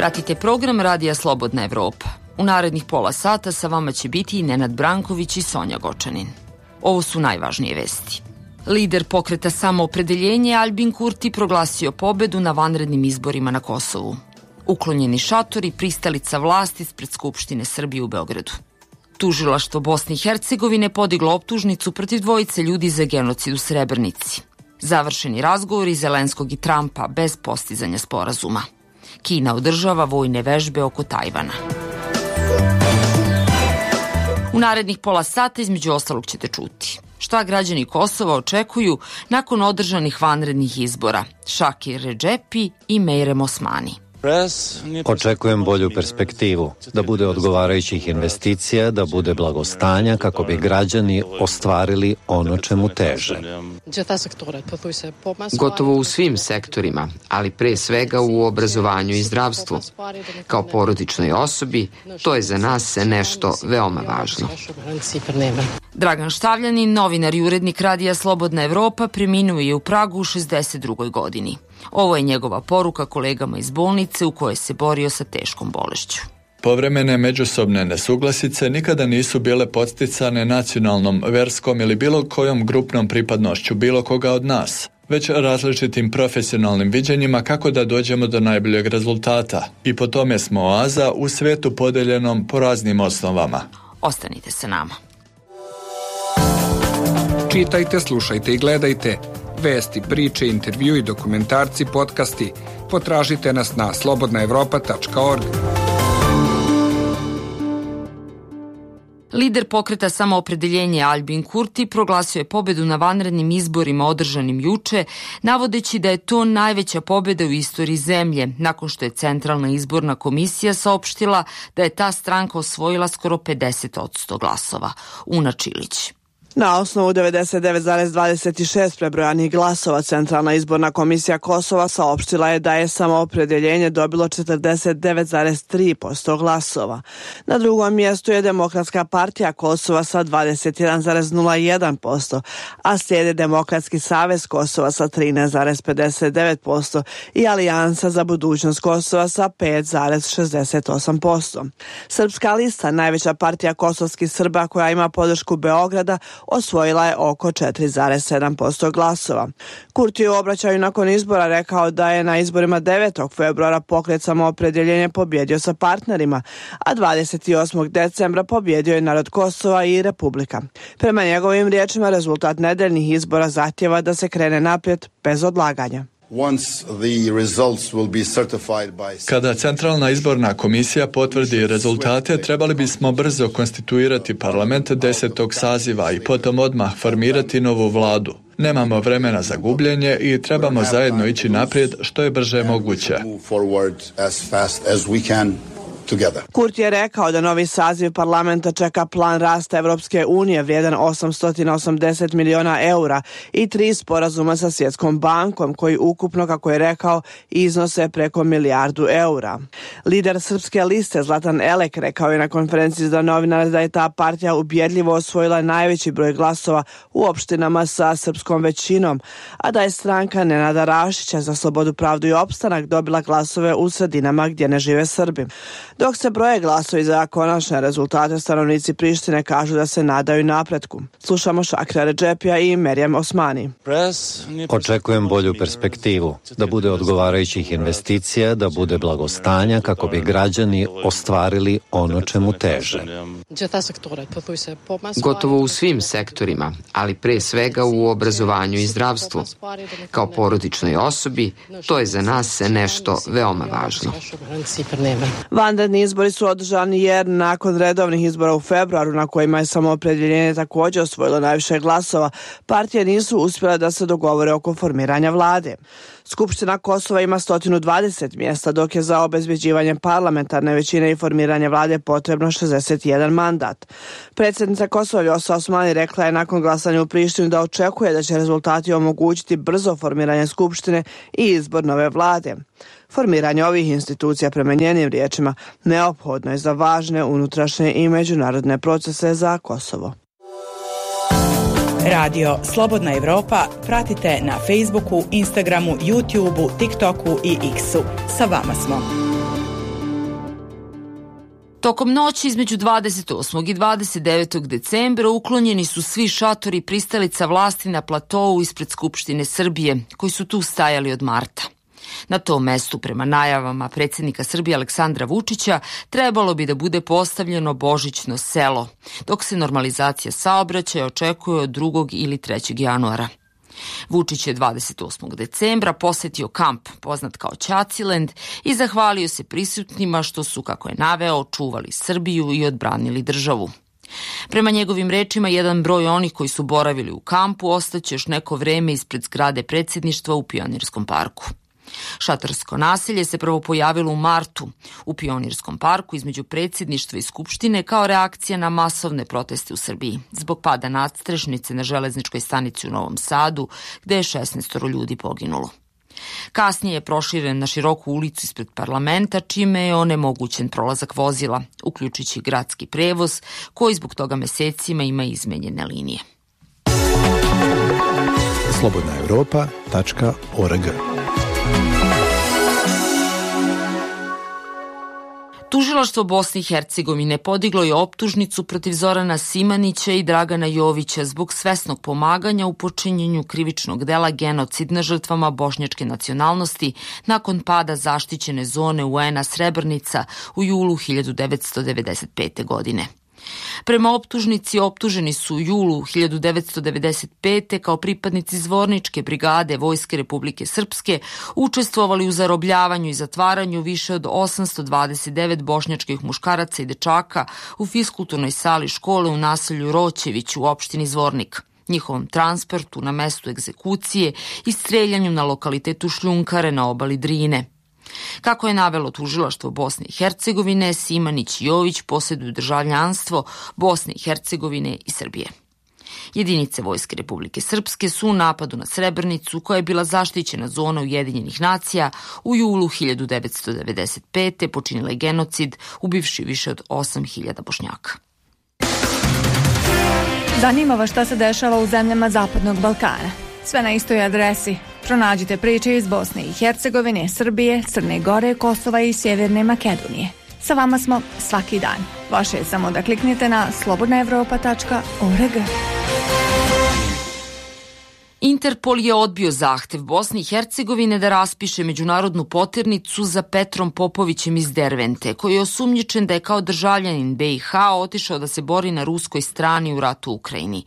Pratite program Radija Slobodna Evropa. U narednih pola sata sa vama će biti i Nenad Branković i Sonja Gočanin. Ovo su najvažnije vesti. Lider pokreta Samoopredeljenje Albin Kurti proglasio pobedu na vanrednim izborima na Kosovu. Uklonjeni šatori, pristalica vlasti ispred Skupštine Srbije u Beogradu. Tužilaštvo Bosne i Hercegovine podiglo optužnicu protiv dvojice ljudi za genocid u Srebrenici. Završeni razgovori Zelenskog i Trumpa bez postizanja sporazuma. Kina održava vojne vežbe oko Tajvana. U narednih pola sata između ostalog ćete čuti šta građani Kosova očekuju nakon održanih vanrednih izbora. Šakir Redžepi i Mejrem Osmani. Očekujem bolju perspektivu, da bude odgovarajućih investicija, da bude blagostanja kako bi građani ostvarili ono čemu teže. Gotovo u svim sektorima, ali pre svega u obrazovanju i zdravstvu. Kao porodičnoj osobi, to je za nas nešto veoma važno. Dragan Štavljanin, novinar i urednik Radija Slobodna Evropa, preminuo je u Pragu u 62. godini. Ovo je njegova poruka kolegama iz bolnice u kojoj se borio sa teškom bolešću. Povremene međusobne nesuglasice nikada nisu bile podsticane nacionalnom, verskom ili bilo kojom grupnom pripadnošću bilo koga od nas, već različitim profesionalnim viđenjima kako da dođemo do najboljeg rezultata. I po tome smo oaza u svetu podeljenom po raznim osnovama. Ostanite sa nama. Čitajte, slušajte i gledajte. Vesti, priče, intervju i dokumentarci, podcasti. Potražite nas na slobodnaevropa.org. Lider pokreta Samoopredeljenje Albin Kurti proglasio je pobedu na vanrednim izborima održanim juče, navodeći da je to najveća pobeda u istoriji zemlje, nakon što je Centralna izborna komisija saopštila da je ta stranka osvojila skoro 50% glasova. Una Čilić. Na osnovu 99,26 prebrojanih glasova, Centralna izborna komisija Kosova saopštila je da je Samoopredeljenje dobilo 49,3% glasova. Na drugom mjestu je Demokratska partija Kosova sa 21,01%, a slijede Demokratski savez Kosova sa 13,59% i Alijansa za budućnost Kosova sa 5,68%. Srpska lista, najveća partija kosovskih Srba koja ima podršku Beograda, osvojila je oko 4,7% glasova. Kurti u obraćaju nakon izbora rekao da je na izborima 9. februara pokret Samoopredeljenje pobjedio sa partnerima, a 28. decembra pobjedio je narod Kosova i Republika. Prema njegovim riječima, rezultat nedeljnih izbora zahtjeva da se krene naprijed bez odlaganja. Kada Centralna izborna komisija potvrdi rezultate, trebali bismo brzo konstituirati parlament 10. saziva i potom odmah formirati novu vladu. Nemamo vremena za gubljenje i trebamo zajedno ići naprijed što je brže moguće. Kurti je rekao da novi saziv parlamenta čeka plan rasta Evropske unije vrijedan 880 miliona eura i 3 sporazuma sa Svjetskom bankom koji ukupno, kako je rekao, iznose preko milijardu eura. Lider Srpske liste Zlatan Elek rekao je na konferenciji za novinare da je ta partija ubjedljivo osvojila najveći broj glasova u opštinama sa srpskom većinom, a da je stranka Nenada Rašića za slobodu, pravdu i opstanak dobila glasove u sredinama gdje ne žive Srbi. Dok se broje glasovi za konačne rezultate, stanovnici Prištine kažu da se nadaju napretku. Slušamo Šakira Redžepija i Mejrem Osmani. Očekujem bolju perspektivu, da bude odgovarajućih investicija, da bude blagostanja kako bi građani ostvarili ono čemu teže. Gotovo u svim sektorima, ali pre svega u obrazovanju i zdravstvu. Kao porodičnoj osobi, to je za nas nešto veoma važno. Vanredni izbori su održani jer nakon redovnih izbora u februaru, na kojima je Samoopredeljenje također osvojilo najviše glasova, partije nisu uspjele da se dogovore oko formiranja vlade. Skupština Kosova ima 120 mjesta, dok je za obezbeđivanje parlamentarne većine i formiranje vlade potrebno 61 mandat. Predsjednica Kosova Vjosa Osmani rekla je nakon glasanja u Prištini da očekuje da će rezultati omogućiti brzo formiranje Skupštine i izbor nove vlade. Formiranje ovih institucija, prema njenim riječima, neophodno je za važne unutrašnje i međunarodne procese za Kosovo. Radio Slobodna Evropa pratite na Facebooku, Instagramu, YouTubeu, TikToku i X-u. Sa vama smo. Tokom noći između 28. i 29. decembra uklonjeni su svi šatori pristalica vlasti na platou ispred Skupštine Srbije, koji su tu stajali od marta. Na tom mestu, prema najavama predsjednika Srbije Aleksandra Vučića, trebalo bi da bude postavljeno božićno selo, dok se normalizacija saobraćaja očekuje od 2. ili 3. januara. Vučić je 28. decembra posetio kamp, poznat kao Ćaciland, i zahvalio se prisutnima što su, kako je naveo, čuvali Srbiju i odbranili državu. Prema njegovim rečima, jedan broj onih koji su boravili u kampu ostaće još neko vreme ispred zgrade predsjedništva u Pionirskom parku. Šatorsko naselje se prvo pojavilo u martu u Pionirskom parku između predsjedništva i Skupštine kao reakcija na masovne proteste u Srbiji zbog pada nadstrešnice na železničkoj stanici u Novom Sadu, gde je 16 ljudi poginulo. Kasnije je proširen na široku ulicu ispred parlamenta, čime je onemogućen prolazak vozila, uključujući gradski prevoz, koji zbog toga mesecima ima izmenjene linije. slobodnaevropa.org. Tužilaštvo Bosne i Hercegovine podiglo je optužnicu protiv Zorana Simanića i Dragana Jovića zbog svesnog pomaganja u počinjenju krivičnog dela genocid na žrtvama bošnjačke nacionalnosti nakon pada zaštićene zone UN-a Srebrnica u julu 1995. godine. Prema optužnici, optuženi su u julu 1995. kao pripadnici Zvorničke brigade Vojske Republike Srpske učestvovali u zarobljavanju i zatvaranju više od 829 bošnjačkih muškaraca i dečaka u fiskulturnoj sali škole u naselju Roćević u opštini Zvornik, njihovom transportu na mestu egzekucije i streljanju na lokalitetu Šljunkare na obali Drine. Kako je navelo tužilaštvo Bosne i Hercegovine, Simanić i Jović posjeduju državljanstvo Bosne i Hercegovine i Srbije. Jedinice Vojske Republike Srpske su u napadu na Srebrnicu, koja je bila zaštićena zona Ujedinjenih nacija, u julu 1995. počinile genocid, ubivši više od 8.000 Bošnjaka. Zanima vas šta se dešava u zemljama Zapadnog Balkana. Sve na istoj adresi. Pronađite priče iz Bosne i Hercegovine, Srbije, Crne Gore, Kosova i Sjeverne Makedonije. Sa vama smo svaki dan. Vaše je samo da kliknete na slobodnaevropa.org. Interpol je odbio zahtev Bosne i Hercegovine da raspiše međunarodnu poternicu za Petrom Popovićem iz Dervente, koji je osumnjičen da je kao državljanin BiH otišao da se bori na ruskoj strani u ratu u Ukrajini.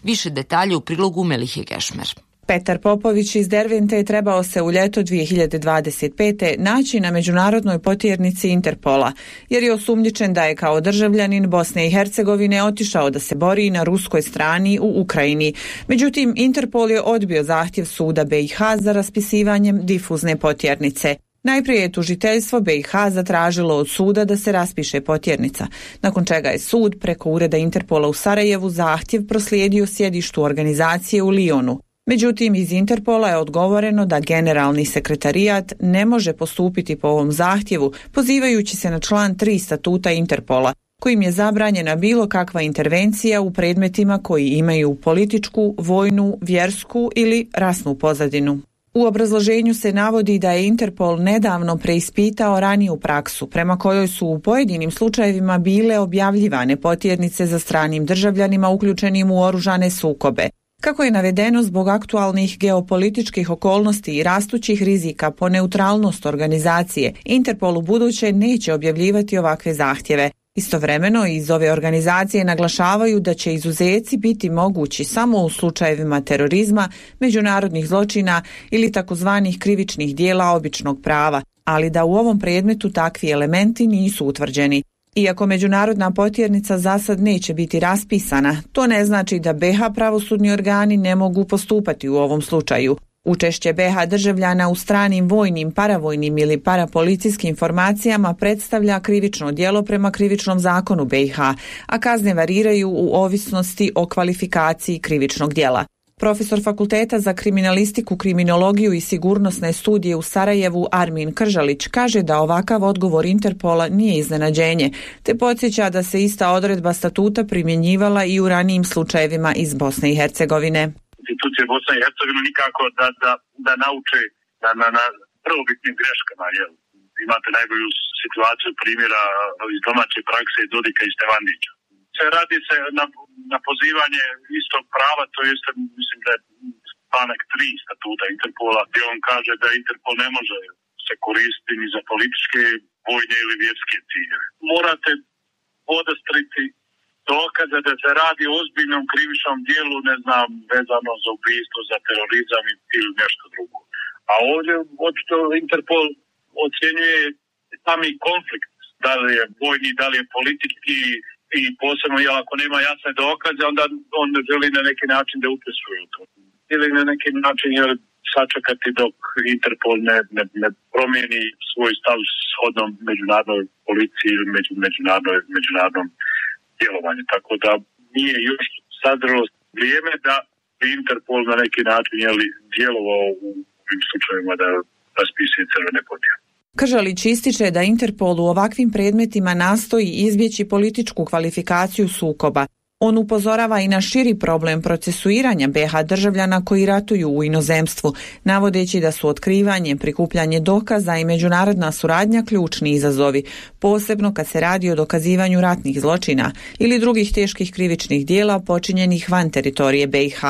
Više detalje u prilogu Melihe Gešmer. Petar Popović iz Dervente je trebao se u ljeto 2025. naći na međunarodnoj potjernici Interpola, jer je osumnjičen da je kao državljanin Bosne i Hercegovine otišao da se bori na ruskoj strani u Ukrajini. Međutim, Interpol je odbio zahtjev suda BiH za raspisivanjem difuzne potjernice. Najprije je tužiteljstvo BiH zatražilo od suda da se raspiše potjernica, nakon čega je sud preko ureda Interpola u Sarajevu zahtjev proslijedio sjedištu organizacije u Lionu. Međutim, iz Interpola je odgovoreno da generalni sekretarijat ne može postupiti po ovom zahtjevu, pozivajući se na član 3 statuta Interpola, kojim je zabranjena bilo kakva intervencija u predmetima koji imaju političku, vojnu, vjersku ili rasnu pozadinu. U obrazloženju se navodi da je Interpol nedavno preispitao raniju praksu, prema kojoj su u pojedinim slučajevima bile objavljivane potjernice za stranim državljanima uključenim u oružane sukobe. Kako je navedeno, zbog aktualnih geopolitičkih okolnosti i rastućih rizika po neutralnost organizacije, Interpol u buduće neće objavljivati ovakve zahtjeve. Istovremeno, iz ove organizacije naglašavaju da će izuzeci biti mogući samo u slučajevima terorizma, međunarodnih zločina ili takozvanih krivičnih dijela običnog prava, ali da u ovom predmetu takvi elementi nisu utvrđeni. Iako međunarodna potjernica za sad neće biti raspisana, to ne znači da BiH pravosudni organi ne mogu postupati u ovom slučaju. Učešće BiH državljana u stranim vojnim, paravojnim ili parapolicijskim formacijama predstavlja krivično djelo prema krivičnom zakonu BiH, a kazne variraju u ovisnosti o kvalifikaciji krivičnog djela. Profesor Fakulteta za kriminalistiku, kriminologiju i sigurnosne studije u Sarajevu Armin Kržalić kaže da ovakav odgovor Interpola nije iznenađenje, te podsjeća da se ista odredba statuta primjenjivala i u ranijim slučajevima iz Bosne i Hercegovine. Institucije Bosne i Hercegovine nikako da nauče na prvobitnim greškama, imate najbolju situaciju primjera iz domaće prakse Dodika i Stevandića. Radi se na pozivanje istog prava, to jest, mislim da je članak 3 statuta Interpola, gdje on kaže da Interpol ne može se koristiti ni za političke, vojne ili vjerske ciljeve. Morate podastriti dokaze da se radi o ozbiljnom krivičnom dijelu, ne znam, vezano za ubijstvo, za terorizam ili nešto drugo. A ovdje očito Interpol ocjenjuje sami konflikt, da li je vojni, da li je politički, i posebno ako nema jasne dokaze, onda on želi na neki način da učestvuje u to. Ili na neki način sačekati dok Interpol ne promijeni svoj stav shodnom međunarodnoj policiji ili međunarodnom djelovanju. Tako da nije još sadrilo vrijeme da bi Interpol na neki način djelovao u ovim slučajevima da raspisuje crvene podjele. Kržalić ističe da Interpol u ovakvim predmetima nastoji izbjeći političku kvalifikaciju sukoba. On upozorava i na širi problem procesuiranja BiH državljana koji ratuju u inozemstvu, navodeći da su otkrivanje, prikupljanje dokaza i međunarodna suradnja ključni izazovi, posebno kad se radi o dokazivanju ratnih zločina ili drugih teških krivičnih dijela počinjenih van teritorije BiH.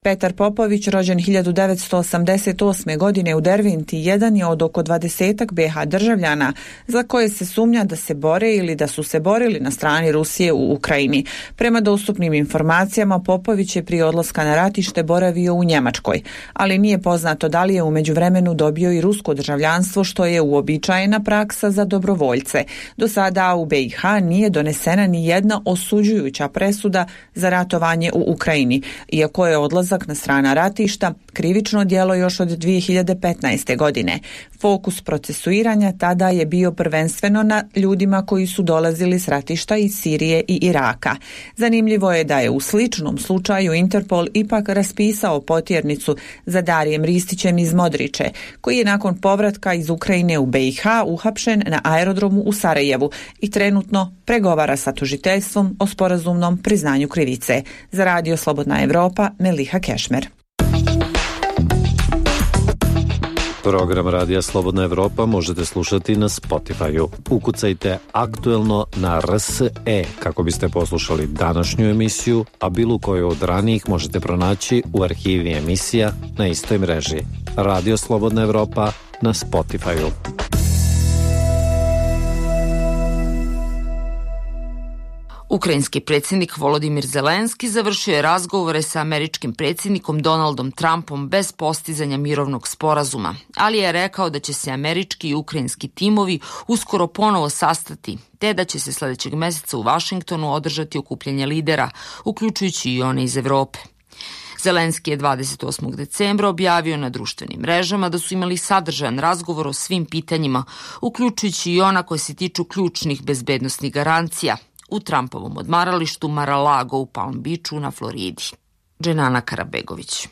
Petar Popović, rođen 1988. godine u Derventi, jedan je od oko 20-ak BiH državljana za koje se sumnja da se bore ili da su se borili na strani Rusije u Ukrajini. Prema dostupnim informacijama, Popović je prije odlaska na ratište boravio u Njemačkoj, ali nije poznato da li je u međuvremenu dobio i rusko državljanstvo, što je uobičajena praksa za dobrovoljce. Do sada u BiH nije donesena ni jedna osuđujuća presuda za ratovanje u Ukrajini, iako je odlazak na strana ratišta krivično djelo još od 2015. godine. Fokus procesuiranja tada je bio prvenstveno na ljudima koji su dolazili s ratišta iz Sirije i Iraka. Zanimljivo je da je u sličnom slučaju Interpol ipak raspisao potjernicu za Darijem Ristićem iz Modriče, koji je nakon povratka iz Ukrajine u BiH uhapšen na aerodromu u Sarajevu i trenutno pregovara sa tužiteljstvom o sporazumnom priznanju krivice. Za Radio Slobodna Evropa, Meliha Kešmer. Program Radija Slobodna Evropa možete slušati na Spotify-u. Ukucajte aktuelno na RSE kako biste poslušali današnju emisiju, a bilo koju od ranijih možete pronaći u arhivi emisija na istoj mreži. Radio Slobodna Evropa na Spotify-u. Ukrajinski predsjednik Volodimir Zelenski završio je razgovore sa američkim predsjednikom Donaldom Trumpom bez postizanja mirovnog sporazuma, ali je rekao da će se američki i ukrajinski timovi uskoro ponovo sastati, te da će se sljedećeg mjeseca u Vašingtonu održati okupljanje lidera, uključujući i one iz Evrope. Zelenski je 28. decembra objavio na društvenim mrežama da su imali sadržajan razgovor o svim pitanjima, uključujući i ona koje se tiču ključnih bezbednosnih garancija, u Trumpovom odmaralištu Mar-a-Lago u Palm Beachu na Floridi. Dženana Karabegović.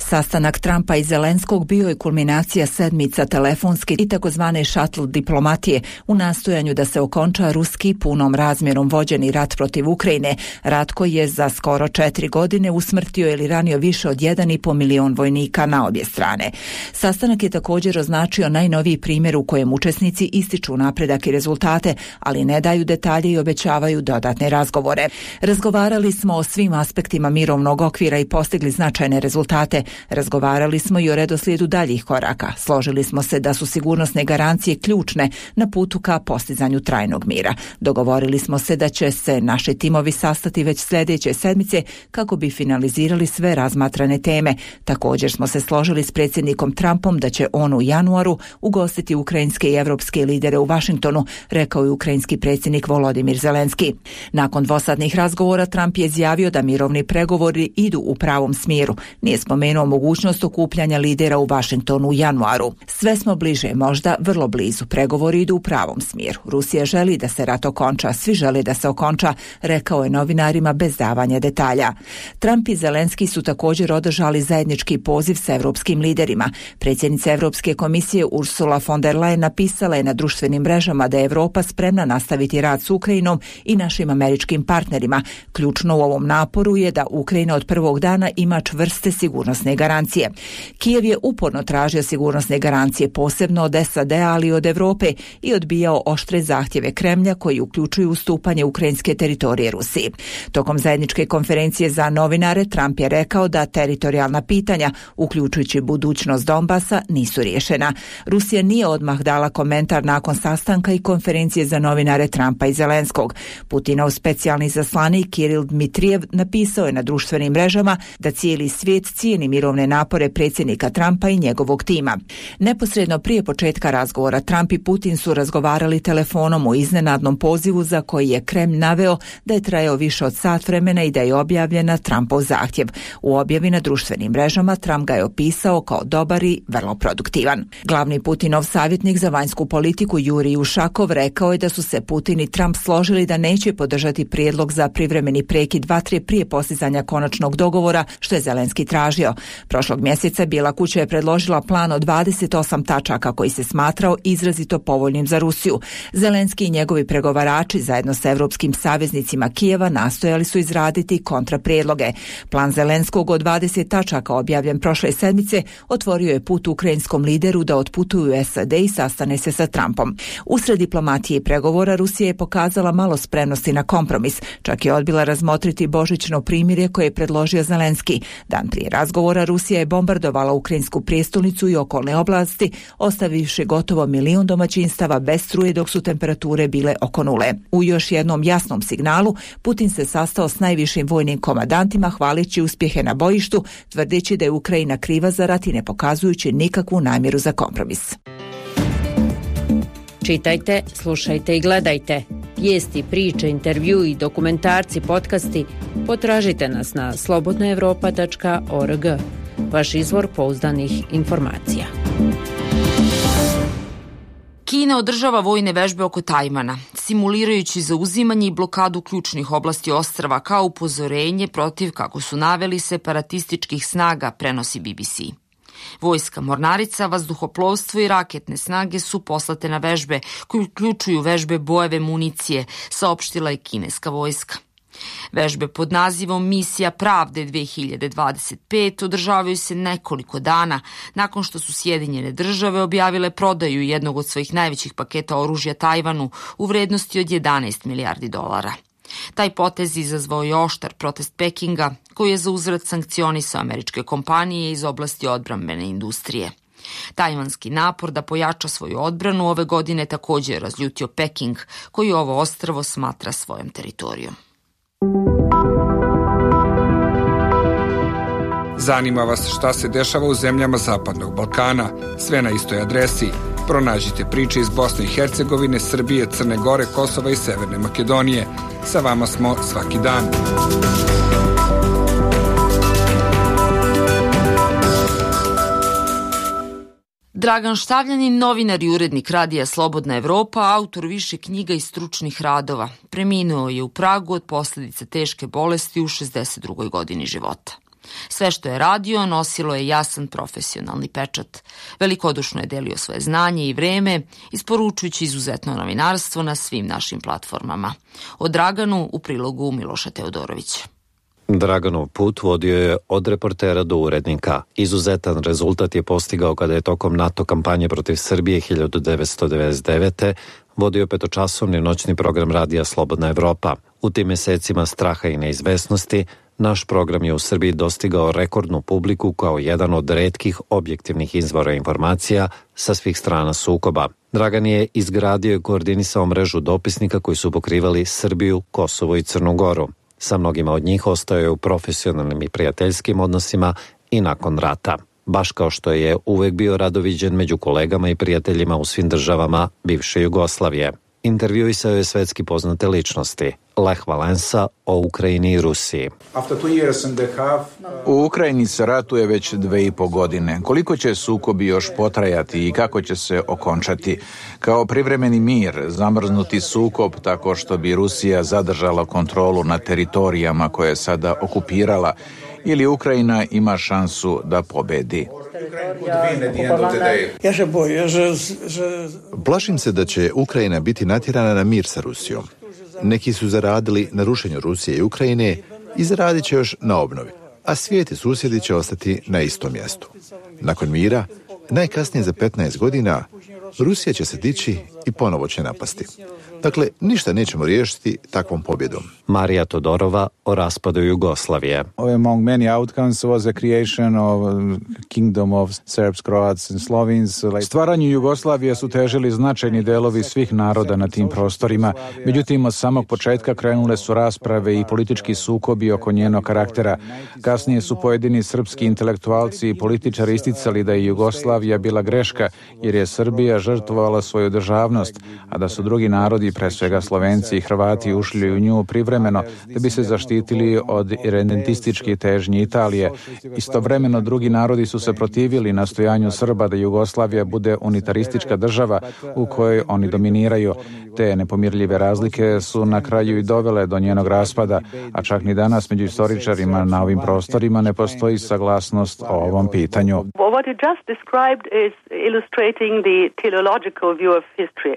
Sastanak Trumpa i Zelenskog bio je kulminacija sedmica telefonske i takozvane šatl diplomatije u nastojanju da se okonča ruski punom razmjerom vođeni rat protiv Ukrajine, rat koji je za skoro 4 godine usmrtio ili ranio više od 1,5 milion vojnika na obje strane. Sastanak je također označio najnoviji primjer u kojem učesnici ističu napredak i rezultate, ali ne daju detalje i obećavaju dodatne razgovore. Razgovarali smo o svim aspektima mirovnog okvira i postigli značajne rezultate. Razgovarali smo i o redoslijedu daljih koraka. Složili smo se da su sigurnosne garancije ključne na putu ka postizanju trajnog mira. Dogovorili smo se da će se naši timovi sastati već sljedeće sedmice kako bi finalizirali sve razmatrane teme. Također smo se složili s predsjednikom Trumpom da će on u januaru ugostiti ukrajinske i evropske lidere u Vašingtonu, rekao je ukrajinski predsjednik Volodimir Zelenski. Nakon dvosadnih razgovora Trump je izjavio da mirovni pregovori idu u pravom smjeru. Nije spomenuo mogućnost okupljanja lidera u Vašingtonu u januaru. Sve smo bliže, možda vrlo blizu. Pregovori idu u pravom smjeru. Rusija želi da se rat okonča, svi žele da se okonča, rekao je novinarima bez davanja detalja. Trump i Zelenski su također održali zajednički poziv sa evropskim liderima. Predsjednica Evropske komisije Ursula von der Leyen napisala je na društvenim mrežama da je Evropa spremna nastaviti rad s Ukrajinom i našim američkim partnerima. Ključno u ovom naporu je da Ukrajina od prvog dana ima čvrste sigurnosne sigurnosne garancije. Kijev je uporno tražio sigurnosne garancije posebno od SAD-a, ali i od Europe i odbijao oštre zahtjeve Kremlja koji uključuju ustupanje ukrajinske teritorije Rusiji. Tokom zajedničke konferencije za novinare Trump je rekao da teritorijalna pitanja, uključujući budućnost Donbasa, nisu riješena. Rusija nije odmah dala komentar nakon sastanka i konferencije za novinare Trumpa i Zelenskog. Putinov specijalni izaslanik Kiril Dmitrijev napisao je na društvenim mrežama da cijeli svijet cijeni mirovne napore predsjednika Trumpa i njegovog tima. Neposredno prije početka razgovora Trump i Putin su razgovarali telefonom u iznenadnom pozivu za koji je Kremlj naveo da je trajao više od sat vremena i da je objavljen na Trumpov zahtjev. U objavi na društvenim mrežama Trump ga je opisao kao dobar i vrlo produktivan. Glavni Putinov savjetnik za vanjsku politiku Jurij Ušakov rekao je da su se Putin i Trump složili da neće podržati prijedlog za privremeni prekid vatre prije postizanja konačnog dogovora, što je Zelenski tražio. Prošlog mjeseca Bijela kuća je predložila plan od 28 tačaka koji se smatrao izrazito povoljnim za Rusiju. Zelenski i njegovi pregovarači zajedno sa europskim saveznicima Kijeva nastojali su izraditi kontraprijedloge. Plan Zelenskog od 20 tačaka objavljen prošle sedmice otvorio je put ukrajinskom lideru da otputuju u SAD i sastane se sa Trumpom. Usred diplomatije i pregovora Rusija je pokazala malo spremnosti na kompromis, čak je odbila razmotriti božićno primirje koje je predložio Zelenski. Dan prije razgovora Rusija je bombardovala ukrajinsku prijestolnicu i okolne oblasti, ostavivši gotovo 1 milion domaćinstava bez struje dok su temperature bile oko nule. U još jednom jasnom signalu Putin se sastao s najvišim vojnim komandantima hvaleći uspjehe na bojištu, tvrdeći da je Ukrajina kriva za rat i ne pokazujući nikakvu namjeru za kompromis. Čitajte, slušajte i gledajte. Vijesti, priče, intervju i dokumentarci, podcasti potražite nas na slobodnaevropa.org. Vaš izvor pouzdanih informacija. Kina održava vojne vežbe oko Tajvana, simulirajući zauzimanje i blokadu ključnih oblasti ostrva kao upozorenje protiv, kako su naveli, separatističkih snaga, prenosi BBC. Vojska mornarica, vazduhoplovstvo i raketne snage su poslate na vežbe koje uključuju vežbe bojeve municije, saopštila je kineska vojska. Vežbe pod nazivom Misija pravde 2025 održavaju se nekoliko dana nakon što su Sjedinjene države objavile prodaju jednog od svojih najvećih paketa oružja Tajvanu u vrednosti od 11 milijardi dolara. Taj potez izazvao je oštar protest Pekinga, koji je za uzvrat sankcionisao američke kompanije iz oblasti odbrambene industrije. Tajvanski napor da pojača svoju odbranu ove godine također je razljutio Peking, koji ovo ostrvo smatra svojom teritorijom. Zanima vas šta se dešava u zemljama Zapadnog Balkana? Sve na istoj adresi. Pronađite priče iz Bosne i Hercegovine, Srbije, Crne Gore, Kosova i Severne Makedonije. Sa vama smo svaki dan. Dragan Štavljanin, novinar i urednik radija Slobodna Evropa, autor više knjiga i stručnih radova, preminuo je u Pragu od posljedica teške bolesti u 62. godini života. Sve što je radio nosilo je jasan profesionalni pečat. Velikodušno je delio svoje znanje i vreme, isporučujući izuzetno novinarstvo na svim našim platformama. O Draganu u prilogu Miloša Teodorovića. Draganov put vodio je od reportera do urednika. Izuzetan rezultat je postigao kada je tokom NATO kampanje protiv Srbije 1999. vodio 5-časovni noćni program radija Slobodna Evropa. U tim mjesecima straha i neizvesnosti naš program je u Srbiji dostigao rekordnu publiku kao jedan od retkih objektivnih izvora informacija sa svih strana sukoba. Dragan je izgradio i koordinisao mrežu dopisnika koji su pokrivali Srbiju, Kosovo i Crnu Goru. Sa mnogima od njih ostao je u profesionalnim i prijateljskim odnosima i nakon rata. Baš kao što je uvek bio radoviđen među kolegama i prijateljima u svim državama bivše Jugoslavije. Intervjuisao je svetski poznate ličnosti, Lech Valensa o Ukrajini i Rusiji. U Ukrajini se ratuje već 2,5 godine. Koliko će sukobi još potrajati i kako će se okončati? Kao privremeni mir, zamrznuti sukob tako što bi Rusija zadržala kontrolu nad teritorijama koje je sada okupirala, ili Ukrajina ima šansu da pobedi? Plašim se da će Ukrajina biti natjerana na mir sa Rusijom. Neki su zaradili na rušenju Rusije i Ukrajine i zaradit će još na obnovi. a svijet i susjedi će ostati na istom mjestu. Nakon mira, najkasnije za 15 godina, Rusija će se dići i ponovo će napasti. Dakle, ništa nećemo riješiti takvom pobjedom. Marija Todorova o raspadu Jugoslavije. Among many outcomes was the creation of Kingdom of Serbs, Croats and Slovenes. Stvaranju Jugoslavije su težili značajni delovi svih naroda na tim prostorima. Međutim, od samog početka krenule su rasprave i politički sukobi oko njenog karaktera. Kasnije su pojedini srpski intelektualci i političari isticali da je Jugoslavija bila greška, jer je Srbija žrtvovala svoju državnost, a da su drugi narodi, pre svega Slovenci i Hrvati, ušli u nju privremeno da bi se zaštitili od irredentističke težnje Italije. Istovremeno drugi narodi su se protivili nastojanju Srba da Jugoslavija bude unitaristička država u kojoj oni dominiraju. Te nepomirljive razlike su na kraju i dovele do njenog raspada, a čak ni danas među istoričarima na ovim prostorima ne postoji saglasnost o ovom pitanju. What you just described is illustrating the teleological view of history.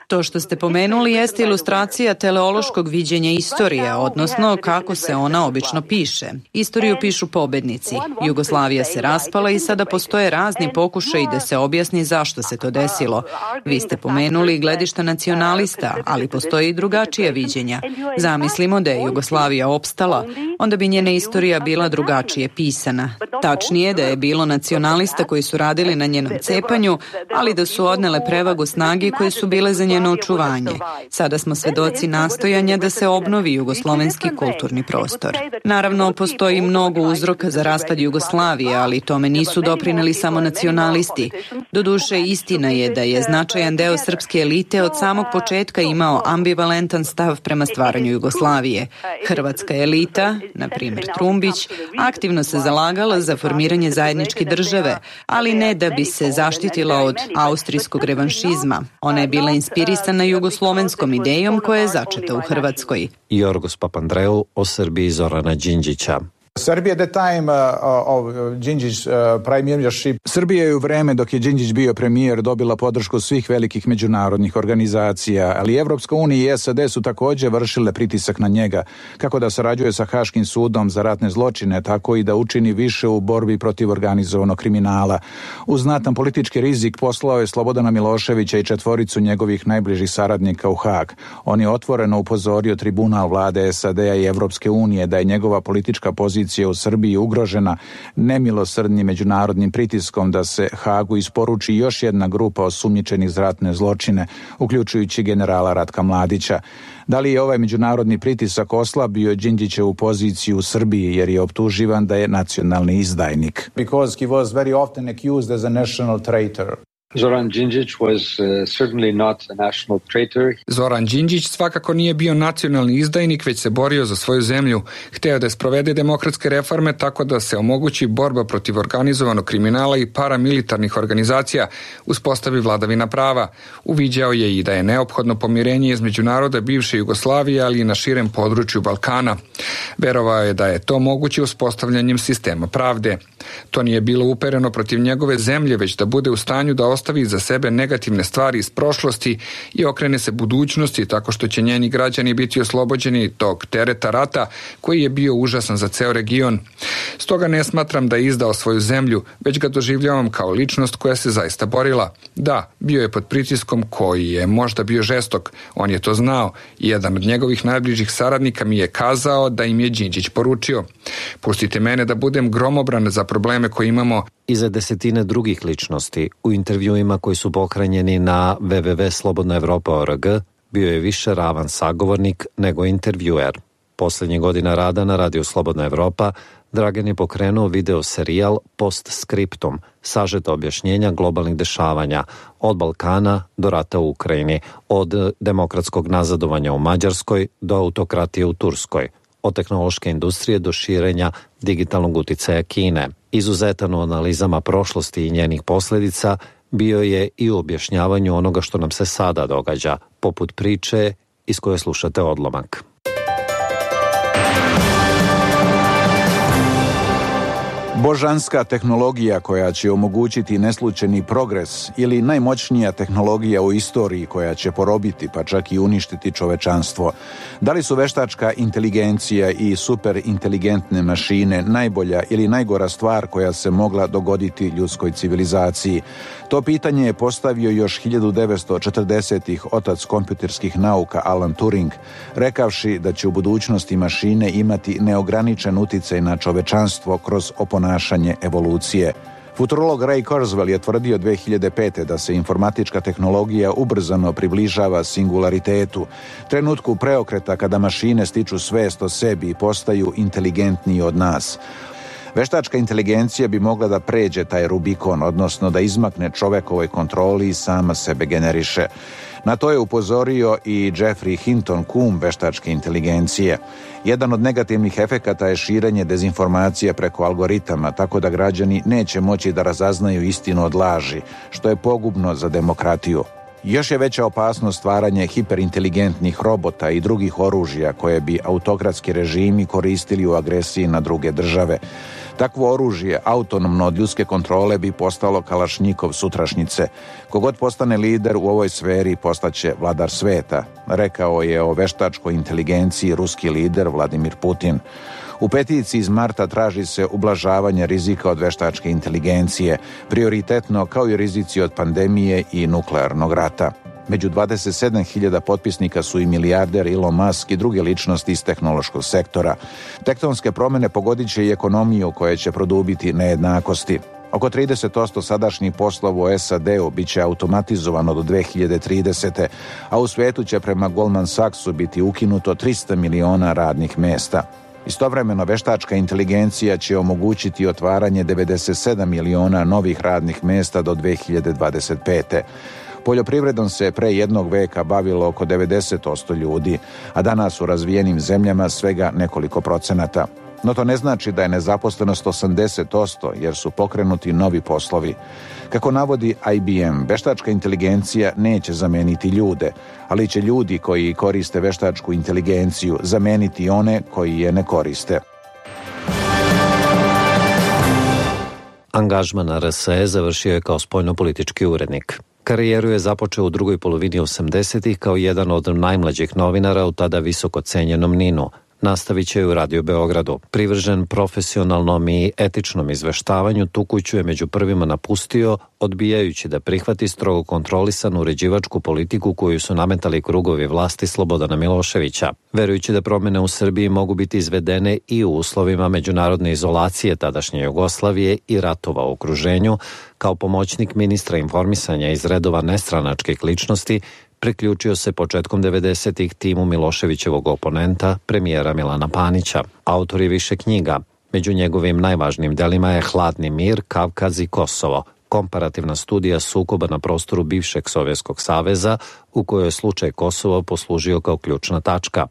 To što ste pomenuli jeste ilustracija teleološkog viđenja istorije, odnosno kako se ona obično piše. Istoriju pišu pobednici. Jugoslavija se raspala i sada postoje razni pokušaji da se objasni zašto se to desilo. Vi ste pomenuli gledišta nacionalista, ali postoji i drugačija viđenja. Zamislimo da je Jugoslavija opstala, onda bi njena istorija bila drugačije pisana. Tačnije da je bilo nacionalista koji su radili na njenom cepanju, ali da su odnele prevagu snage koje su bile za njeno očuvanje. Sada smo svedoci nastojanja da se obnovi jugoslovenski kulturni prostor. Naravno, postoji mnogo uzroka za raspad Jugoslavije, ali tome nisu doprineli samo nacionalisti. Doduše, istina je da je značajan deo srpske elite od samog početka imao ambivalentan stav prema stvaranju Jugoslavije. Hrvatska elita, na primjer Trumbić, aktivno se zalagala za formiranje zajedničke države, ali ne da bi se zaštitila od austrijskog revanšizma. Ona je bila inspirisana jugoslovenskom idejom koja je začeta u Hrvatskoj. Jorgos Papandreou o Srbiji Zorana Đinđića. Srbija je u vreme dok je Đinđić bio premijer dobila podršku svih velikih međunarodnih organizacija, ali Evropska unija i SAD su također vršile pritisak na njega, kako da sarađuje sa Haškim sudom za ratne zločine, tako i da učini više u borbi protiv organizovanog kriminala. Uz znatan politički rizik poslao je Slobodana Miloševića i 4 njegovih najbližih saradnika u Hag. On je otvoreno upozorio tribunal vlade SAD-a i Evropske unije da je njegova politička pozicija u Srbiji ugrožena nemilosrdnim međunarodnim pritiskom da se Hagu isporuči još jedna grupa osumnjičenih za ratne zločine, uključujući generala Ratka Mladića. Da li je ovaj međunarodni pritisak oslabio Đinđićevu poziciju u Srbiji jer je optuživan da je nacionalni izdajnik? Because he was very often accused as a national traitor. Zoran Đinđić was certainly not a national traitor. Zoran Đinđić svakako nije bio nacionalni izdajnik, već se borio za svoju zemlju. Hteo da sprovede demokratske reforme tako da se omogući borba protiv organizovanog kriminala i paramilitarnih organizacija, uspostavi vladavina prava. Uviđao je i da je neophodno pomirenje između naroda bivše Jugoslavije, ali i na širem području Balkana. Verovao je da je to moguće uspostavljanjem sistema pravde. To nije bilo upereno protiv njegove zemlje, već da bude u stanju da ostavi za sebe negativne stvari iz prošlosti i okrene se budućnosti tako što će njeni građani biti oslobođeni tog tereta rata koji je bio užasan za ceo region. Stoga ne smatram da je izdao svoju zemlju, već ga doživljavam kao ličnost koja se zaista borila. Da, bio je pod pritiskom koji je možda bio žestok, on je to znao i jedan od njegovih najbližih saradnika mi je kazao da im je Đinđić poručio: pustite mene da budem gromobran za probleme koje imamo. I za desetine drugih ličnosti u intervjuima koji su pohranjeni na www.slobodnaevropa.org bio je više ravan sagovornik nego intervjuer. Poslednjih godina rada na radiju Slobodna Evropa Dragan je pokrenuo video serijal Postscriptum, sažeta objašnjenja globalnih dešavanja od Balkana do rata u Ukrajini, od demokratskog nazadovanja u Mađarskoj do autokratije u Turskoj, od tehnološke industrije do širenja digitalnog uticaja Kine. Izuzetan u analizama prošlosti i njenih posljedica bio je i u objašnjavanju onoga što nam se sada događa, poput priče iz koje slušate odlomak. Božanska tehnologija koja će omogućiti neslučajni progres ili najmoćnija tehnologija u istoriji koja će porobiti pa čak i uništiti čovečanstvo. Da li su veštačka inteligencija i superinteligentne mašine najbolja ili najgora stvar koja se mogla dogoditi ljudskoj civilizaciji? To pitanje je postavio još 1940-ih otac kompjuterskih nauka Alan Turing, rekavši da će u budućnosti mašine imati neograničen uticaj na čovečanstvo kroz oponašanje evolucije. Futurolog Ray Kurzweil je tvrdio 2005. da se informatička tehnologija ubrzano približava singularitetu, trenutku preokreta kada mašine stiču svest o sebi i postaju inteligentniji od nas. Veštačka inteligencija bi mogla da pređe taj Rubikon, odnosno da izmakne čovekovoj kontroli i sama sebe generiše. Na to je upozorio i Jeffrey Hinton, kum veštačke inteligencije. Jedan od negativnih efekata je širenje dezinformacija preko algoritama, tako da građani neće moći da razaznaju istinu od laži, što je pogubno za demokratiju. Još je veća opasnost stvaranje hiperinteligentnih robota i drugih oružja koje bi autokratski režimi koristili u agresiji na druge države. Takvo oružje, autonomno od ljudske kontrole, bi postalo kalašnjikov sutrašnjice. Kogod postane lider u ovoj sferi postaće vladar sveta, rekao je o veštačkoj inteligenciji ruski lider Vladimir Putin. U peticiji iz marta traži se ublažavanje rizika od veštačke inteligencije, prioritetno kao i rizici od pandemije i nuklearnog rata. Među 27.000 potpisnika su i milijarder Elon Musk i druge ličnosti iz tehnološkog sektora. Tektonske promjene pogodit će i ekonomiju koja će produbiti nejednakosti. Oko 30% sadašnjih poslova u SAD-u bit će automatizovano do 2030. a u svijetu će prema Goldman Sachsu biti ukinuto 300 miliona radnih mjesta. Istovremeno, veštačka inteligencija će omogućiti otvaranje 97 miliona novih radnih mjesta do 2025. Poljoprivredom se pre jednog veka bavilo oko 90% ljudi, a danas u razvijenim zemljama svega nekoliko procenata. No to ne znači da je nezaposlenost 80%, jer su pokrenuti novi poslovi. Kako navodi IBM, veštačka inteligencija neće zameniti ljude, ali će ljudi koji koriste veštačku inteligenciju zameniti one koji je ne koriste. Angažman na RSE završio je kao spoljnopolitički urednik. Karijeru je započeo u drugoj polovini 80-ih kao jedan od najmlađih novinara u tada visoko cenjenom NIN-u. Nastavit će u Radio Beogradu. Privržen profesionalnom i etičnom izveštavanju, tu kuću je među prvima napustio, odbijajući da prihvati strogo kontrolisanu uređivačku politiku koju su nametali krugovi vlasti Slobodana Miloševića. Verujući da promjene u Srbiji mogu biti izvedene i u uslovima međunarodne izolacije tadašnje Jugoslavije i ratova u okruženju, kao pomoćnik ministra informisanja iz redova nestranačkih ličnosti, priključio se početkom 90-ih timu Miloševićevog oponenta, premijera Milana Panića. Autor je više knjiga. Među njegovim najvažnijim delima je Hladni mir, Kavkaz i Kosovo, komparativna studija sukoba na prostoru bivšeg Sovjetskog saveza, u kojoj je slučaj Kosovo poslužio kao ključna tačka,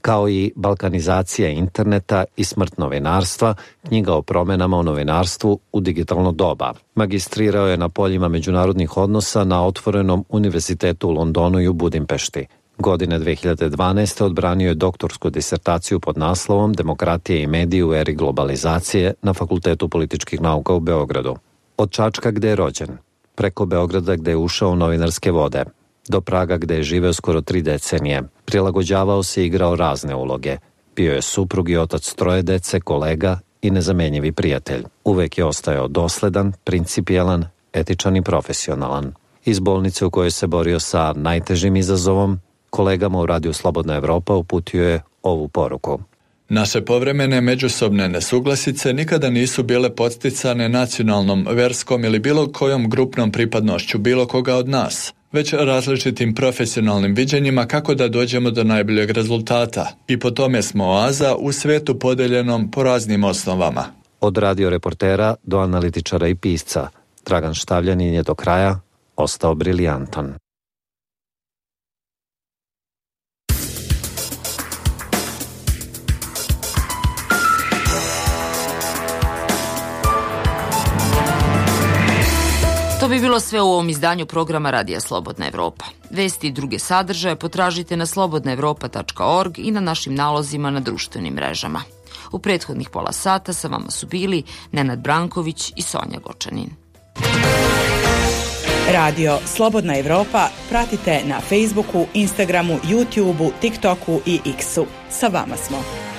kao i Balkanizacija interneta i smrt novinarstva, knjiga o promjenama u novinarstvu u digitalno doba. Magistrirao je na poljima međunarodnih odnosa na Otvorenom univerzitetu u Londonu i u Budimpešti. Godine 2012. odbranio je doktorsku disertaciju pod naslovom Demokratija i mediji u eri globalizacije na Fakultetu političkih nauka u Beogradu. Od Čačka gde je rođen, preko Beograda gde je ušao u novinarske vode, do Praga gde je živeo skoro 3 decenije. Prilagođavao se i igrao razne uloge. Bio je suprug i otac 3 dece, kolega i nezamenjivi prijatelj. Uvek je ostajao dosledan, principijelan, etičan i profesionalan. Iz bolnice u kojoj se borio sa najtežim izazovom, kolegama u Radiju Slobodna Evropa uputio je ovu poruku. Naše povremene međusobne nesuglasice nikada nisu bile podsticane nacionalnom, verskom ili bilo kojom grupnom pripadnošću bilo koga od nas, već različitim profesionalnim viđenjima kako da dođemo do najboljeg rezultata. I po tome smo oaza u svetu podeljenom po raznim osnovama. Od radio reportera do analitičara i pisca, Dragan Štavljanin je do kraja ostao briljantan. To bi bilo sve u ovom izdanju programa Radija Slobodna Evropa. Vesti i druge sadržaje potražite na slobodnaevropa.org i na našim nalozima na društvenim mrežama. U prethodnih pola sata sa vama su bili Nenad Branković i Sonja Gočanin. Radio Slobodna Evropa pratite na Facebooku, Instagramu, YouTubeu, TikToku i X-u. Sa vama smo.